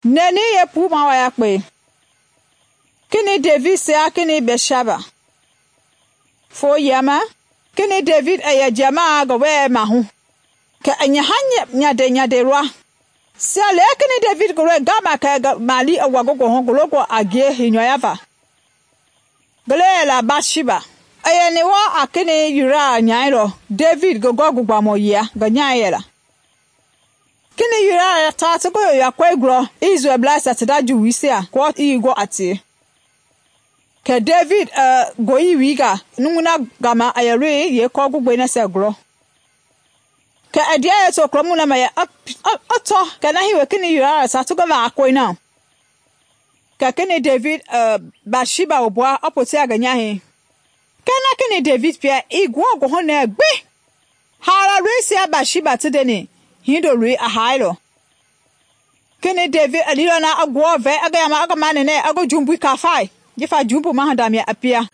Neni yeepuu ma yakpe. Kini David sia kini Bɛtsheba. Foo yama kini David i yɛ jamaa ngi wɛɛ mahu. Kɛ i nyaha nyande lɔ. Sia le kini David ngi lɔi gama kɛ mali i wa ngi goohu ngi longɔ a ngie heinyɔya va. Ngi le yɛla Bɛtsheba. I yɛni wɔɔ a kini Uria nyai lɔ David ngi gɔgugbamɔ yia ngi nyai yɛla. Kini Uria taa ti ngi yoyakpei gulɔ Israelbleisia ti nda Juwisia kɔɔ i gɔ a tie. Kɛ David goyi wiga numui na gama a yɛ loi yeekɔɔgugbei nasia gulɔ. Kɛ i ndia yeetokolomu na ma yɛ i tɔ kɛ na hiwe kini Uria ta ti ngi vaakoi na. Kɛ kini David Bɛtsheba wubua i poti a ngi nyahɛi. Kɛɛ na kini David pia i nguɔ goohunɛɛ gbi. Haala loisia Bɛtsheba ti ndeni hindoloi a haailɔ. Kini David i liilɔ na i nguɔ vɛi i ngi yama i ngi manɛnɛ i ngi jumbui kafai jifa jumbu mahadamia i pia.